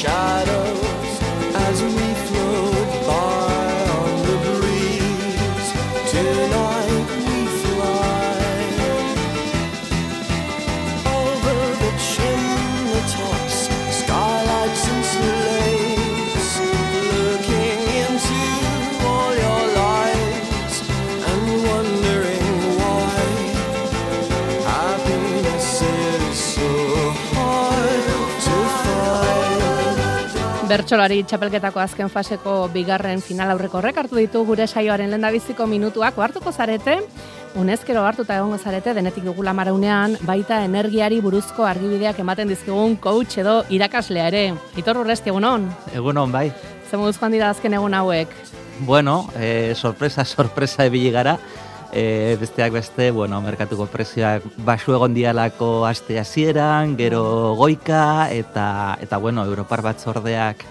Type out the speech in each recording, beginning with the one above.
shadows as we float by on the breeze. Tonight we fly over the chimney tops, skylights and slates, looking into all your lives and wondering why happiness is so hard to find. Bertsolari txapelketako azken faseko bigarren final aurreko horrek hartu ditu gure saioaren lehendabiziko minutuak. Hartuko zarete, unezkero hartuta egongo zarete, denetik dugula maraunean, baita energiari buruzko argibideak ematen dizkigun coach edo irakaslea ere. Itor Urresti, egunon? Egunon, bai. Ze moduzkoan dira azken egun hauek? Bueno, sorpresa ebili gara. Besteak beste, merkatuko prezioak basu egon dialako aste hasieran, gero goika, eta Europar Batzordeak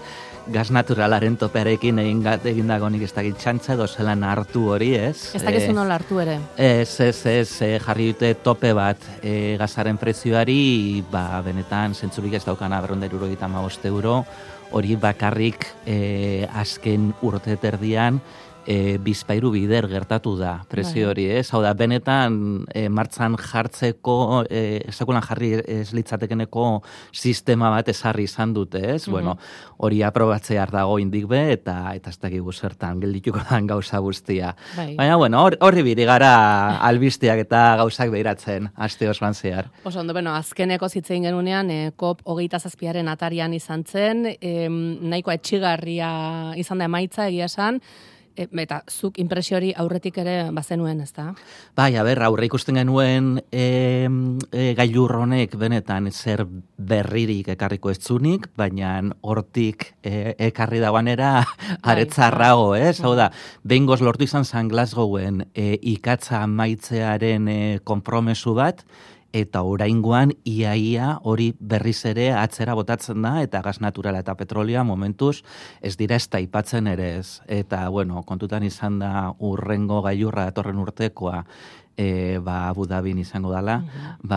gas naturalaren topearekin egindago nik ez dakit txantza edo zelan hartu hori, ez? Ez dakizu nola hartu ere? Ez, jarri dute tope bat gazaren prezioari, benetan zentzurik ez daukana €475, hori bakarrik azken urte terdian, bizpairu bider gertatu da prezio hori, ez? Hau da, benetan martxan jartzeko, esakulan jarri ez litzatekeneko sistema bat ezarri izan dute, ez? Bueno, hori aprobatzear dago indik be, eta ez dakigu zertan geldituko dan gauza guztia. Baina, horri biri gara albisteak eta gauzak behiratzen, aste osoan zehar. Oso ondo, azkeneko zitzein genunean, COP27aren atarian izan zen, nahiko etxigarria izan da emaitza egia esan, eta zuk impresio hori aurretik ere bazenuen, ezta? Bai, aurre ikusten genuen gailur honek benetan zer berririk ekarriko ez zunik, baina hortik ekarri dagoanera aretzarrago, ez? Hau da, behingoz lortu izan zan Glasgowen ikatza amaitzearen konpromesu bat, eta oraingoan iaia hori berriz ere atzera botatzen da, eta gas naturala eta petrolioa momentuz ez dira ez taipatzen ere ez. Eta, kontutan izan da urrengo gailurra datorren urtekoa, Abu Dhabin izango dala,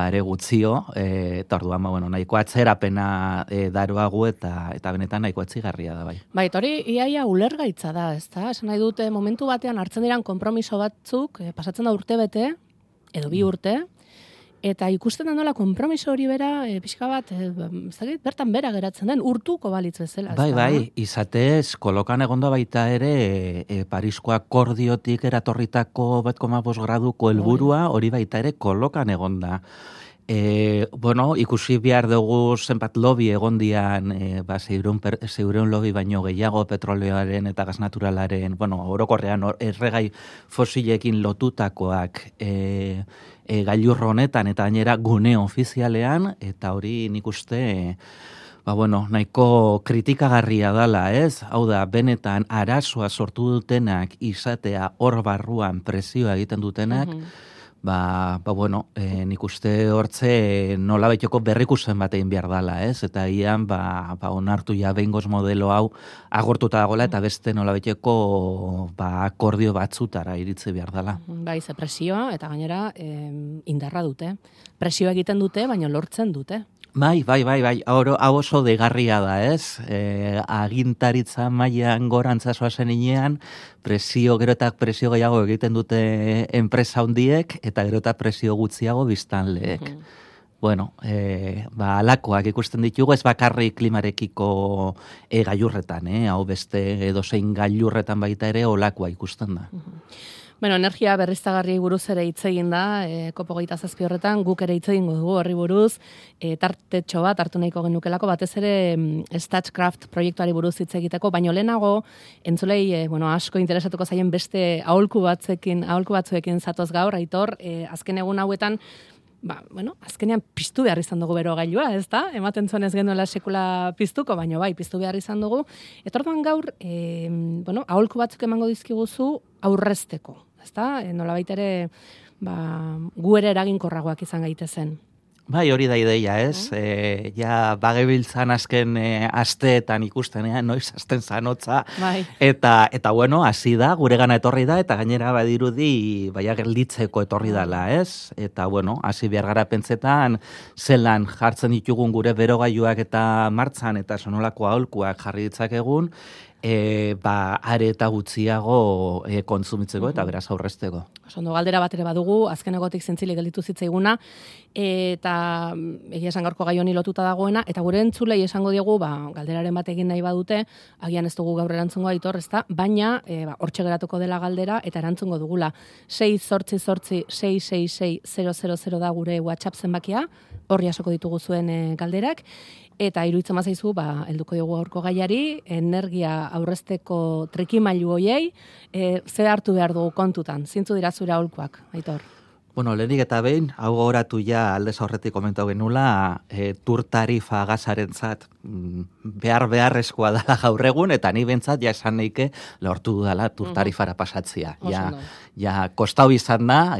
ere gutzio, eta orduan, nahiko atzerapena daroagu eta benetan nahiko atzigarria da, bai. Bai, hori iaia ulergaitza da, ezta? Esan nahi dute, momentu batean hartzen diran konpromiso batzuk, pasatzen da urte bete, edo 2 urte, eta ikusten da nola konpromiso hori bera, pixka bat, bertan bera geratzen den, urtuko balitz bezala. Bai, izatez, kolokan egonda baita ere, Parisko akordiotik eratorritako 1,5 graduko helburua, hori baita ere kolokan egonda. Ikusi behar dugu zenbat lobby egondian, 600 lobby baino gehiago petroleoaren eta gas naturalaren, orokorrean erregai fosilekin lotutakoak gailurro honetan eta gainera gune ofizialean, eta hori nik uste nahiko kritikagarria dala, ez? Hau da, benetan arazoa sortu dutenak izatea hor barruan presioa egiten dutenak, nik uste hortze nola baitoko berrikusen bat egin behar dala, ez? Eta ian, onartu ja behingoz modelo hau agortuta dagoela, eta beste nola baiteko akordio batzutara iritzi behar dala. Bai, ze presioa, eta gainera indarra dute. Presioa egiten dute, baina lortzen dute. Bai, hau oso degarria da, ez? Agintaritza mailan gorantzasoa zen inean, gero eta presio gehiago egiten dute enpresa handiek, eta gero eta presio gutxiago biztanleek. Alakoak ikusten ditugu, ez bakarrik klimarekiko gailurretan, hau beste edozein gailurretan baita ere olakoa ikusten da. Energia berriztagarri buruz ere hitz egin da, COP27 horretan, guk ere hitz egingo dugu horri buruz, tartetxo bat hartu nahiko genukelako, batez ere Statcraft proiektuari buruz hitz egiteko, baino lehenago, entzulei, asko interesatuko zaien beste aholku batzuekin zatoz gaur, Aitor, azken egun hauetan, azkenean piztu behar izan dugu bero gailua, ez da? Ematen zuen ez genuela sekula piztuko, baina piztu behar izan dugu. Eta orduan gaur, aholku batzuk emango dizkiguzu aurrezteko, ez da? Nolabait ere, gu ere eraginkorragoak izan gaitezen. Bai, hori da ideia, ez? Ja, bagebiltzan azken asteetan ikustenean, noiz azten zanotza. Bai. Eta bueno, hasi da, guregana etorri da, eta gainera badirudi, baia gelditzeko etorri dela, ez? Eta bueno, hasi behar gara pentsetan, zelan jartzen ditugun gure berogailuak eta martzan, eta sonolako aholkuak jarri ditzakegun, are eta gutxiago kontsumitzeko eta beraz aurrezteko. Ondo, galdera bat ere badugu, azkenegotik zintzilik gelditu zitzaiguna, eta egia esan gaurko gai honi lotuta dagoena, eta gure entzulei esango diegu, galderaren bat egin nahi badute, agian ez dugu gaur erantzungo Aitor, ezta, baina hortxe geratuko dela galdera, eta erantzungo dugula. 688-666-000 da gure WhatsApp zenbakia, horri asoko ditugu zuen galderak, eta iruditzen bazaizu, helduko dugu gaurko gaiari, energia aurrezteko trikimailu hoiei, ze hartu behar dugu kontutan, zintzu dira zure aholkuak, Aitor? Bueno, lehenik eta behin, hau gogoratu ja aldez aurretik komentau genula, tur tarifa gazarentzat beharrezkoa dela gaur egun, eta ni bentsat ja esan neike lortu dudala tur tarifara pasatzea. Ja, kostau izan da,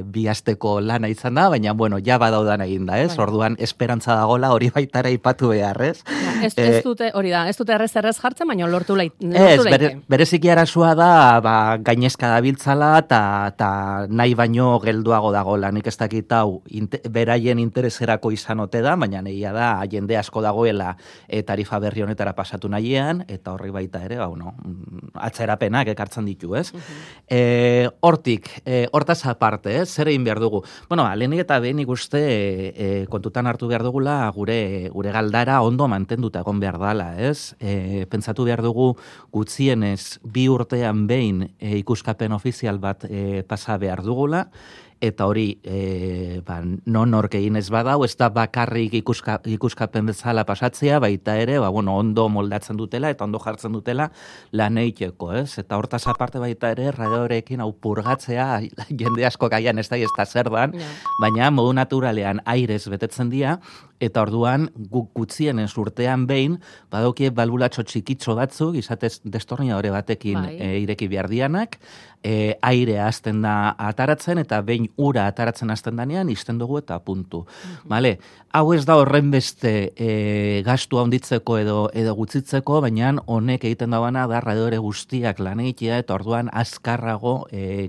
bi asteko lana izan da, baina, bueno, ja badaudan egin da, ez? Orduan, esperantza dagola hori baitara ipatu behar, ez? Ez dute, hori da, ez dute errez hartzen, baina lortu leike. Bereziki arazua da, gainezka dabiltzala, eta nahi baino gelduago dagoela, nik ez dakit hau beraien intereserako izan ote da, baina negia da, jende asko dagoela tarifa berri honetara pasatu nahian, eta horri baita ere, atzerapenak ekartzen ditu, ez? Hortaz aparte, zer egin behar dugu? Bueno, lehenik eta behin ikuste kontutan hartu behar dugula gure galdara ondo mantenduta egon behar dala, ez? Pentsatu behar dugu gutxienez 2 urtean behin ikuskapen ofizial bat pasa behar dugula, eta hori nork egin ez badau, ez da bakarrik ikuskapen bezala pasatzea, baita ere, ondo moldatzen dutela eta ondo jartzen dutela lan egiteko, ez? Eta hortaz aparte baita ere, radiorekin hau purgatzea, jende asko gaian ez da zer dan, baina modu naturalean airez betetzen dira, eta orduan guk gutxienez urtean behin, badaukie balbulatxo txikitxo batzuk, izatez destornilladore batekin ireki behar dianak, airea hasten da ataratzen, eta behin ura ataratzen hasten danean, izten dugu eta puntu. Vale? Hau ez da horren beste gastu handitzeko edo gutzitzeko, baina honek egiten dauana da radiore guztiak lan egitea, eta orduan azkarrago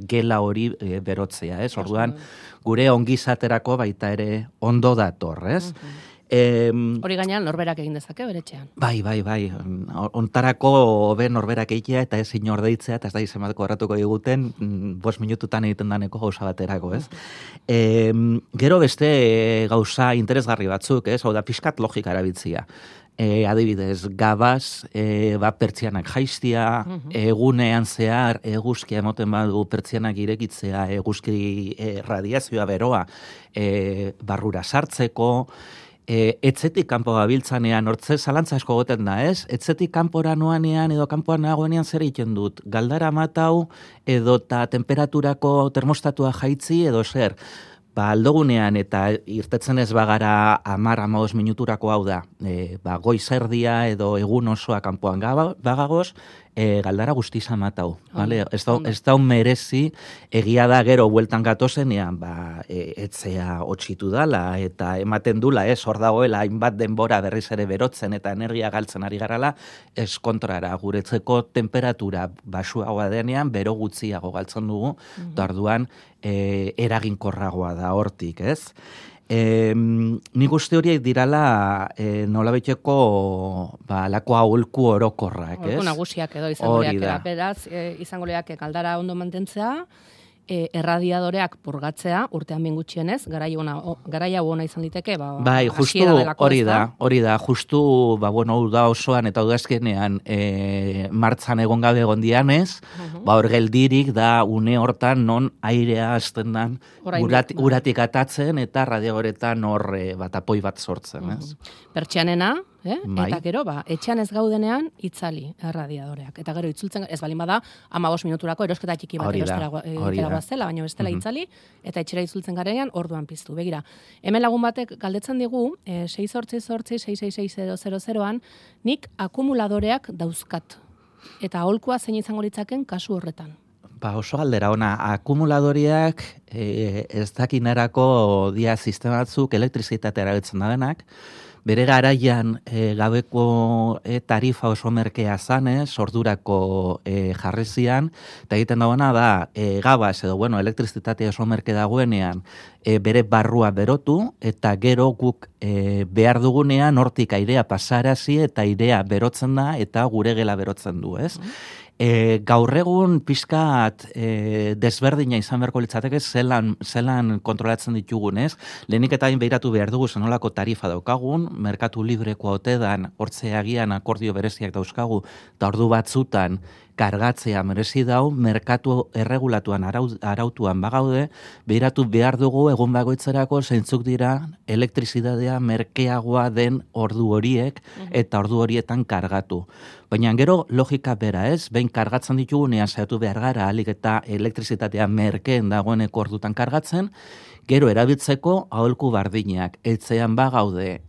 gela hori berotzea, ez? Orduan gure ongizaterako baita ere ondo dator, ez? Hori gainean norberak egin dezake beretxean. Bai. Ontarako norberak egitea eta ez inor deitzea, eta ez da izemateko erratuko diguten, 5 minututan egiten daneko gauza baterako, ez? Gero beste gauza interesgarri batzuk, ez? Hau da, pixkat logika erabiltzia. Adibidez, gabaz, pertsianak jaiztia, egunean zehar, eguzkia emoten badu pertsianak irekitzea, eguzki radiazioa beroa barrura sartzeko, etzetik kanpo gabiltzanean, hortze zalantza asko goten da, ez? Etzetik kanpora noanean edo kanpoan nagoenean zer egiten dut? Galdara matau edo temperaturako termostatua jaitzi edo zer? Aldogunean eta irtetzen ez bagara 10-15 minuturako hau da, goizerdia edo egun osoa kanpoan bagagoz, galdara guztiza matau. Ez da merezi, egia da gero bueltan gatozenean, etzea otxitu dala, eta ematen dula, hor dagoela, hainbat denbora berriz ere berotzen eta energia galtzen ari garala, ez kontrara, guretzeko temperatura basuagoa denean, bero gutxiago galtzen dugu, orduan eraginkorragoa da hortik, ez? Nik uste horiek dirala nolabiteko lako aholku orokorrak, ez? Aholku nagusiak edo izango leak, beraz, izango leak galdara ondo mantentzea, erradiadoreak purgatzea, urtean behin gutxienez, garaia ona izan liteke, bai, justu hori da, justu, hau da osoan eta udazkenean martzan egon gabe egon dianez, hor geldirik da une hortan non airea hasten dan uratik atatzen eta radiadoretan hor apoi bat sortzen, ez? Pertsianena, eta gero, etxean ez gaudenean itzali erradiadoreak. Eta gero itzultzen, ez balin bada, 15 minuturako erosketa txiki bat erostera zela, baina bestela itzali, eta etxera itzultzen garenean orduan piztu. Begira, hemen lagun batek galdetzen digu, 688-666-000an, nik akumuladoreak dauzkat. Eta aholkua zein izango litzaken kasu horretan. oso galdera ona, akumuladoriak ez dakinerako dia sistema batzuk elektrizitatea erabiltzen da denak, bere garaian gabeko tarifa oso merkea zanez, ordurako jarri zian, eta egiten dagoena da, gabaz edo, elektrizitatea oso merke dagoenean, bere barrua berotu, eta gero guk behar dugunean hortik airea pasarazi eta airea berotzen da, eta gure gela berotzen du, ez? Gaur egun pixkat desberdina izan beharko litzateke zelan kontrolatzen ditugun, ez? Lehenik eta behiratu behar dugu zenolako tarifa daukagun, merkatu librekoa otedan, hortze agian akordio bereziak dauzkagu, eta ordu batzutan kargatzea merezi dau, merkatu erregulatuan arautuan bagaude, behiratu behar dugu egun bagoitzerako zeintzuk dira elektrizitatea merkeagoa den ordu horiek eta ordu horietan kargatu. Baina gero logika bera, ez? Behin kargatzen ditugunean saiatu behar gara alik eta elektrizitatea merkeen dagoeneko ordutan kargatzen, gero erabiltzeko aholku bardinak, etzean bagaude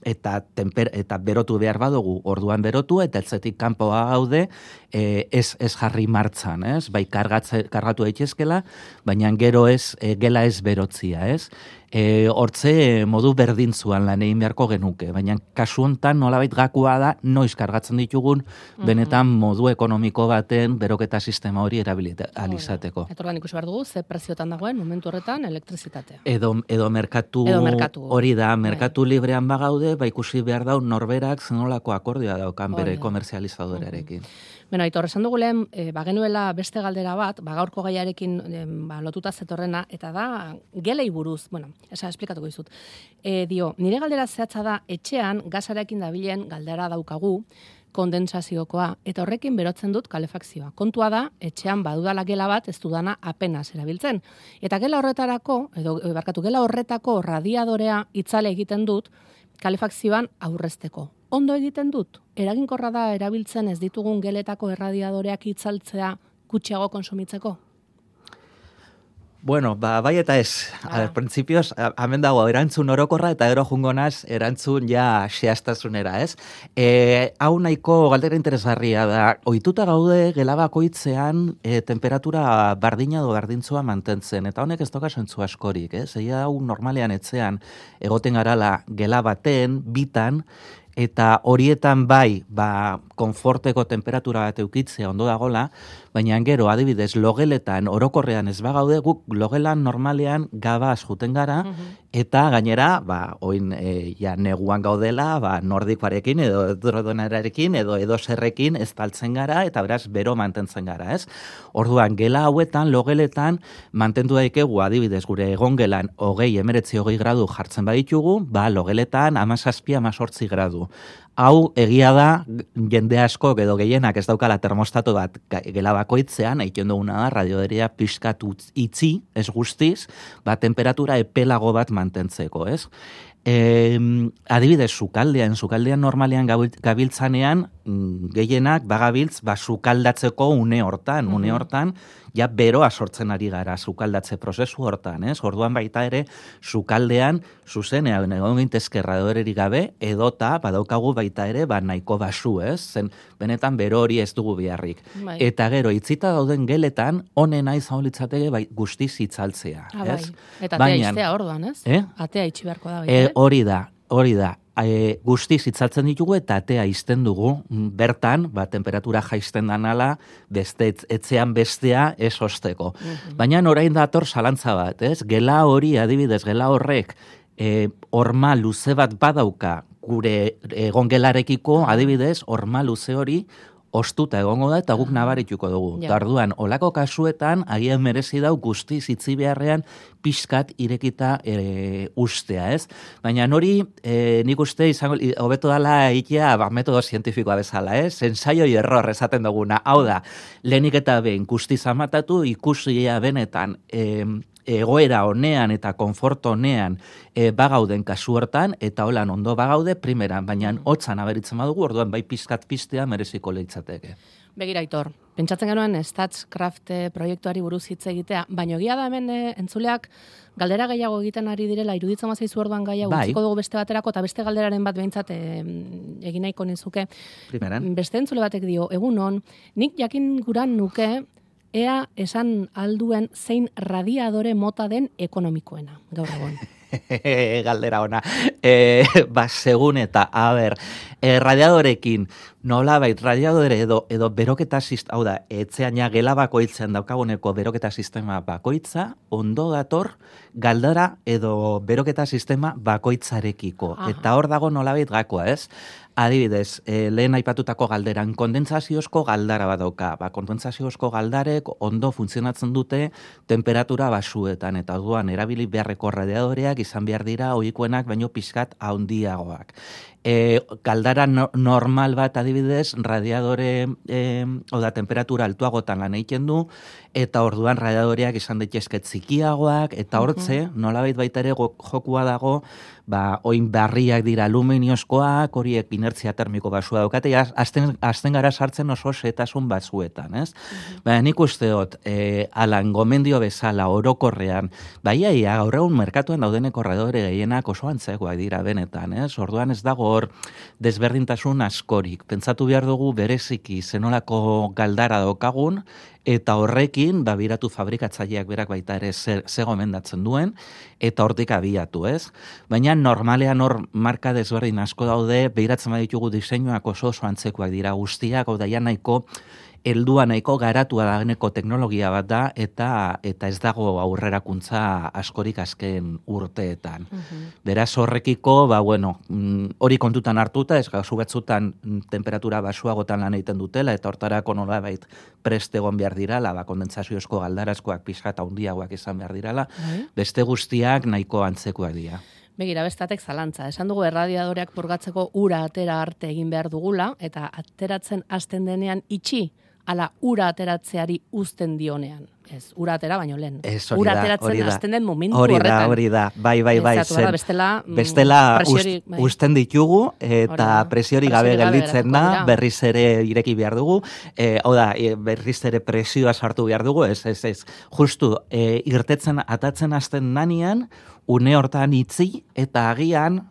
eta berotu behar badugu orduan berotu, eta etzetik kanpoa gaude ez jarri martzan, ez? Bai kargatu daitezkela, baina gero gela ez berotzia, ez? Hortze modu berdintzuan lan egin beharko genuke, baina kasu hontan nolabait gakoa da noiz kargatzen ditugun benetan modu ekonomiko baten beroketa sistema hori erabilizateko. Eta ordan ikusi behar dugu, ze preziotan dagoen momentu horretan elektrizitatea. Edo merkatu hori da, merkatu librean bagaude, ikusi behar dau norberak zenolako akordioa daukan bere komerzializadorearekin. Aitor, esan dugu lehen, bagenuela beste galdera bat, gaurko gaiarekin lotuta zetorrena, eta da, gelei buruz, esplikatuko dizut. Nire galdera zehatza da, etxean, gasarekin dabilen galdera daukagu, kondensaziokoa, eta horrekin berotzen dut kalefakzioa. Kontua da, etxean badudala gela bat, ez dudana apenas erabiltzen. Eta gela horretako radiadorea itzale egiten dut, kalefakzioan aurrezteko. Ondo egiten dut, eraginkorra da erabiltzen ez ditugun geletako erradiadoreak itzaltzea gutxiago konsumitzeko? Bai eta ez. Printzipioz, hemen dago erantzun orokorra eta gero jungo naz erantzun xehaztasunera, ez? Hau nahiko galdera interesgarria da. Ohituta gaude gela bakoitzean temperatura bardina edo bardintzua mantentzen, eta honek ez doka zentzu askorik, ez? Egia hau normalean etzean egoten garala gela baten, bitan, eta horietan konforteko temperatura bat eukitzea ondo dagola, baina gero adibidez logeletan orokorrean ez bagaude, guk logelan normalean gabaz juten gara, eta gainera, oin neguan gaudela, nordikoarekin edo edrodonarekin edo zerrekin ez taltzen gara, eta beraz bero mantentzen gara, ez? Orduan, gela hauetan, logeletan, mantendu daikegu adibidez gure egongelan 20-19 gradu jartzen baditugu, logeletan 17-18 gradu. Hau egia da, jende asko edo gehienak ez daukala termostato bat gela bakoitzean, egiten duguna da, radioderia pixkatu itzi, ez guztiz, temperatura epelago bat mantentzeko, ez? Adibidez, sukaldean normalean gabiltzanean, gehienak bagabiltz, sukaldatzeko une hortan, ja beroa sortzen ari gara sukaldatze prozesu hortan, ez? Orduan baita ere, sukaldean, zuzenean, egon gintezke radioderik gabe, edota, badaukagu baita ere, nahiko basu, ez? Zen, benetan bero hori ez dugu beharrik. Eta gero, itzita dauden geletan, honena izan litzateke guztiz itzaltzea, ez? Eta atea iztea orduan, ez? Atea itxi beharko da. Hori da. Guztiz itzaltzen ditugu eta atea izten dugu, bertan, temperatura jaisten danala, etzean bestea ez osteko. Baina orain dator zalantza bat, ez? Gela hori, adibidez, gela horrek, horma luze bat badauka, gure egongelarekiko, adibidez, horma luze hori, ostuta egongo da eta guk nabarituko dugu. Orduan, olako kasuetan, agian merezi dau guztiz itzi beharrean pixkat irekita ustea, ez? Baina hori, nik uste izango, hobeto dala egitea metodo zientifikoa bezala, ez? Ensaio y error esaten duguna. Hau da, lehenik eta behin guztiz amatatu, ikusia benetan egoera honean eta konfort honean bagauden kasu hortan, eta holan ondo bagaude primeran, baina hotzan aberitzen badugu, orduan bai pizkat pistea mereziko leitzateke. Begira, Aitor, pentsatzen genuen StatsCraft proiektuari buruz hitz egitea, baina egia da hemen entzuleak galdera gehiago egiten ari direla, iruditzen mazaizu orduan gaia utziko dugu beste baterako, eta beste galderaren bat behintzat egin nahiko nizuke. Primeran. Beste entzule batek dio, egunon, nik jakin guran nuke ea esan alduen zein radiadore mota den ekonomikoena, gaur egon. Galdera ona. Segun eta, radiadorekin, nolabait, radiadore edo beroketa hau da, etxeaina gela bakoitzen daukaguneko beroketa sistema bakoitza, ondo dator, galdara edo beroketa sistema bakoitzarekiko. Aha. Eta hor dago nolabait gakoa, ez? Adibidez, lehen aipatutako galderan, kondensaziozko galdara bat dauka. Kondensaziozko galdarek ondo funtzionatzen dute temperatura basuetan, eta orduan erabili beharreko radiadoreak izan behar dira ohikoenak baino pixkat handiagoak. Galdara normal bat adibidez, radiadore, temperatura altuagotan lan egiten du, eta orduan radiadoreak izan daitezke txikiagoak, eta hortze, nolabait baita ere jokua dago, oin barriak dira aluminiozkoak, horiek inertzia termiko basua daukate, azten gara sartzen oso setasun basuetan, ez? Baina nik uste dut, alan gomendio bezala orokorrean, iaia gaur egun merkatuan daudeneko radiadore gehienak oso antzekoak dira benetan, ez? Orduan ez dago hor desberdintasun askorik. Pentsatu behar dugu bereziki zenolako galdara daukagun, eta horrekin, biratu fabrikatzaileak berak baita ere ze gomendatzen duen, eta hortik abiatu, ez? Baina normalean hor marka desberdin asko daude, behiratzen baditugu diseinuak oso antzekoak dira guztiak, hau da nahiko, heldua nahiko garatua dagoeneko teknologia bat da, eta ez dago aurrerakuntza askorik azken urteetan. Beraz horrekiko, hori kontutan hartuta, ez gazu batzutan temperatura basuagotan lan egiten dutela, eta hortarako nolabait prest egon behar dirala, kondensaziozko galdarazkoak pixkat handiagoak izan behar dirala, beste guztiak nahiko antzekoak dira. Begira, bestatek zalantza. Esan dugu erradiadoreak purgatzeko ura atera arte egin behar dugula, eta ateratzen hasten denean itxi, ala ura ateratzeari uzten dionean. Ez, ura atera baino lehen. Ura ateratzen hasten den momentu horretan. Hori da, bai. Bestela uzten ditugu, eta presiori gabe gelditzen da, berriz ere ireki behar dugu, berriz ere presioa sartu behar dugu, ez. Justu, atatzen hasten nanean, une hortan itzi, eta agian,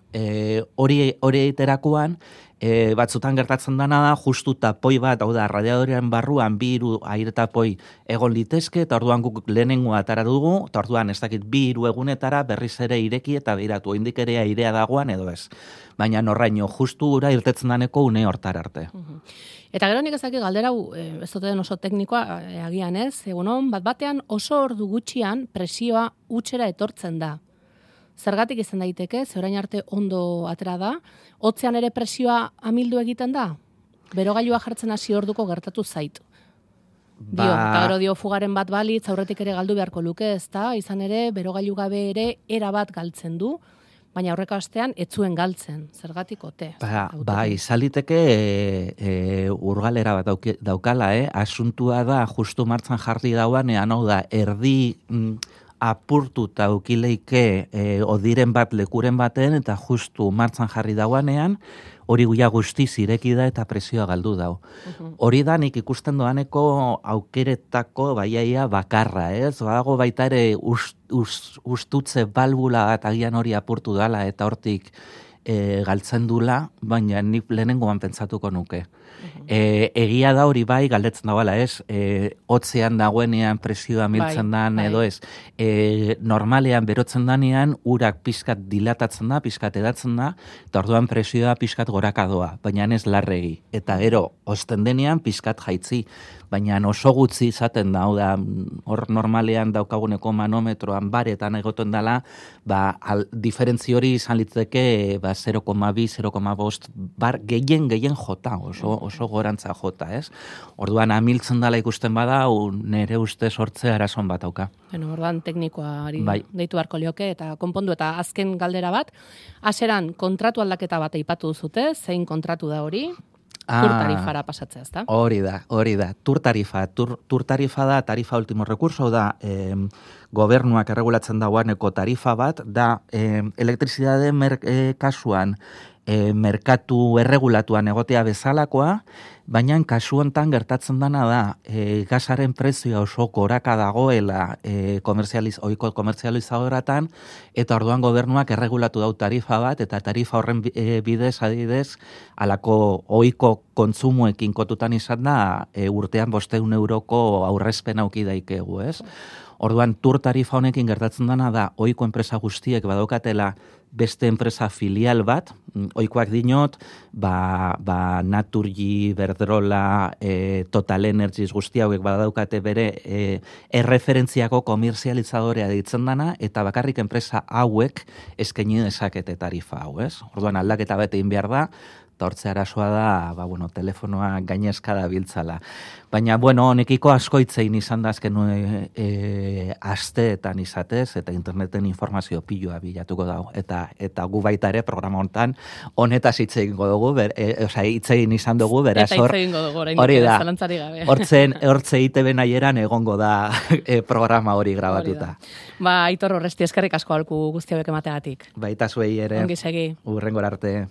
hori eiterakoan, batzutan gertatzen dana da, justu tapoi bat, radiadorean barruan, 2 aire tapoi egon litezke, eta orduan guk lehenengo atara dugu, eta orduan ez dakit 2-3 egunetara berriz ere ireki eta behiratu, indik ere airea dagoan edo ez. Baina norraino, justu ura irtetzen daneko une hortar arte. Eta gero nik ezakit galdera, ez dute den oso teknikoa, agian ez, egunon, batean oso ordu gutxian presioa utxera etortzen da. Zergatik izan daiteke, ze orain arte ondo atera da, hotzean ere presioa amildu egiten da? Berogailua jartzen hasi orduko gertatu zait. Eta gero dio fugaren bat balitz, aurretik ere galdu beharko luke, ezta? Izan ere, berogailu gabe ere era bat galtzen du, baina aurreko astean ez zuen galtzen. Zergatik ote? Izaliteke urgalera bat daukala, asuntua da, justu martzan jarri dauanean, hau da, erdi apurtuta ukileike odiren bat lekuren baten, eta justu martzan jarri dauanean, hori guia guztiz ireki da eta presioa galdu dau. Hori da nik ikusten doaneko aukeretako baiaia bakarra, ez? Badago baita ere ustutze balbula bat agian hori apurtu dala eta hortik galtzen dula, baina nik lehenengoan pentsatuko nuke. Egia da hori bai, galdetzen dagoela, ez? Hotzean dagoenean presioa miltzen dan, edo ez? Normalean berotzen danean, urak pixkat dilatatzen da, pixkat edatzen da, eta orduan presioa pixkat gorakadoa, baina ez larregi. Eta gero, osten denean pixkat jaitzi. Baina oso gutxi izaten da, hor normalean daukaguneko manometroan baretan egoten dela, diferentzi hori izan litzeke 0,2, 0,5 bar gehien jota, oso gorantza jota, ez? Orduan amiltzen dela ikusten bada, nire uste sortzea arazoan bat dauka. Orduan teknikoari deitu beharko lioke eta konpondu, eta azken galdera bat, hasieran kontratu aldaketa bat aipatu duzute, zein kontratu da hori? Tur tarifara pasatzea, ezta? Hori da. Tur tarifa da, tarifa último recurso, da gobernuak erregulatzen dagoeneko tarifa bat, da elektrizidade kasuan merkatu erregulatuan egotea bezalakoa, baina kasu hontan gertatzen dana da, gasaren prezioa oso goraka dagoela ohiko komerzializadoratan, eta orduan gobernuak erregulatu dau tarifa bat, eta tarifa horren bidez, adidez, alako ohiko kontsumoekin kotutan izan da, urtean 500 euroko aurrezpen auki daikegu, ez? Orduan, tur tarifa honekin gertatzen dana da, ohiko enpresa guztiek badaukatela beste enpresa filial bat, ohikoak dinot, Naturgy, Verdrola, Total Energies guzti hauek badaukate bere erreferentziako komerzializadorea ditzen dana, eta bakarrik enpresa hauek eskaini dezakete tarifa hau, ez? Orduan, aldaketa bete egin behar da, eta hortze arazoa da, telefonoa gainezka da biltzala. Baina, honekiko asko itzein izan da azken asteetan izatez, eta interneten informazio pilua bilatuko dago. Eta gu baita ere programa hontan honetaz hitzein dugu, hitzein izan dugu, beraz hor. Eta hitzein dugu, hori da, zalantzari gabe. Hortze ITB nahieran egongo da programa hori grabatuta. Aitor Orresti, eskerrik asko alku guzti hauek emateagatik. Baita zuei ere. Ongi segi. Hurrengora arte.